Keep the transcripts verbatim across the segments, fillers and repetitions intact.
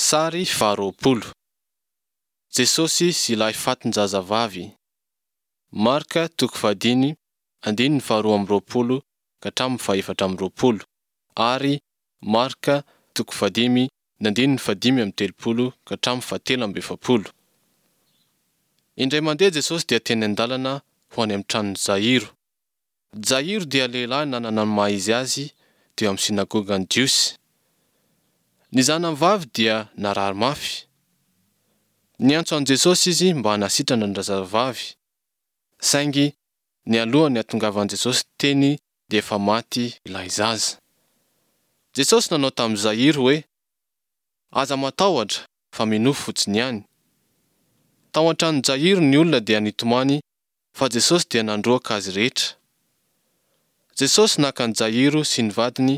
Sary faharoapolo. Jesosy sy ilay fatin-jazavavy. Marka toko fahadimy andininy faharoa amby roapolo ka hatramin'ny fahefatra amby roapolo ary Marka toko fahadimy ny andininy fahadimy amby telopolo ka hatramin'ny fahatelo amby efapolo. Indray mandeha Jesosy dia teny an-dalana ho any amin'ny tranon'i Jairo. Jairo dia lehilahy nanana ny maha izy azy teo amin'ny synagogan'ny Jiosy. Ny zanany vavy dia narary mafy. Niantso an'i Jesosy izy mba hanasitrana an-drazazavavy. Saingy nialohan'ny hatongavan'i Jesosy teny dia efa maty ilay zaza. Jesosy nanao tamin'i Jairo hoe, Aza matahotra fa minoa fotsiny ihany. Tao an-tranon'i Jairo ny olona dia nitomany fa Jesosy dia nandroaka azy rehetra. Jesosy naka an'i Jairo sy ny vadiny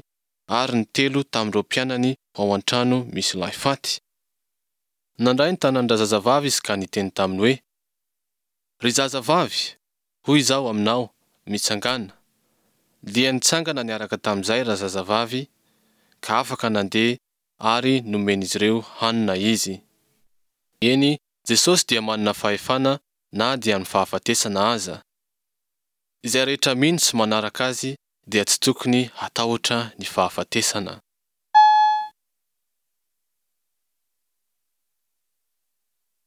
ary ny telo tamin'ireo mpianany ho ao an-trano misy ilay faty. Nandray ny tanan-drazazavavy izy ka niteny taminy hoe, Ry zazavavy, hoy izaho aminao, mitsangàna. Dia nitsangana niaraka tamin'izay razazavavy, ka afaka nandeha ary nomen'izy ireo hanina izy. Eny, Jesosy dia manana fahefana na dia amin'ny fahafatesana aza. Izay rehetra mino sy manaraka Azy dia tsy tokony hatahotra ny fahafatesana.